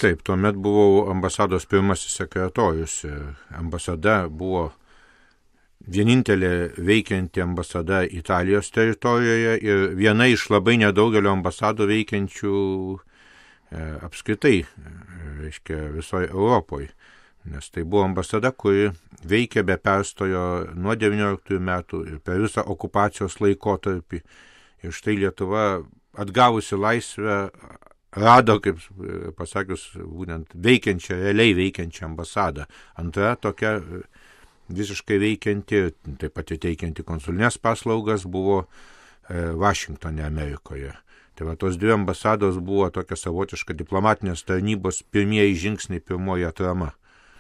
Taip, tuomet buvau ambasados pirmasis sekretorius. Ambasada buvo vienintelė veikianti ambasada Italijos teritorijoje ir viena iš labai nedaugelio ambasadų veikiančių apskritai, reiškia, visoje Europoje. Nes tai buvo ambasada, kuri veikė be perstojo nuo 19 metų ir per visą okupacijos laikotarpį. Ir štai Lietuva atgavusi laisvę rado, kaip pasakius, būtent veikiančią, realiai veikiančią ambasadą. Antra tokia visiškai veikianti, taip pat teikianti konsulinės paslaugas buvo Vašingtone, Amerikoje. Tai va, tos dvi ambasados buvo tokia savotiška diplomatinės tarnybos pirmieji žingsniai, pirmoji atrama.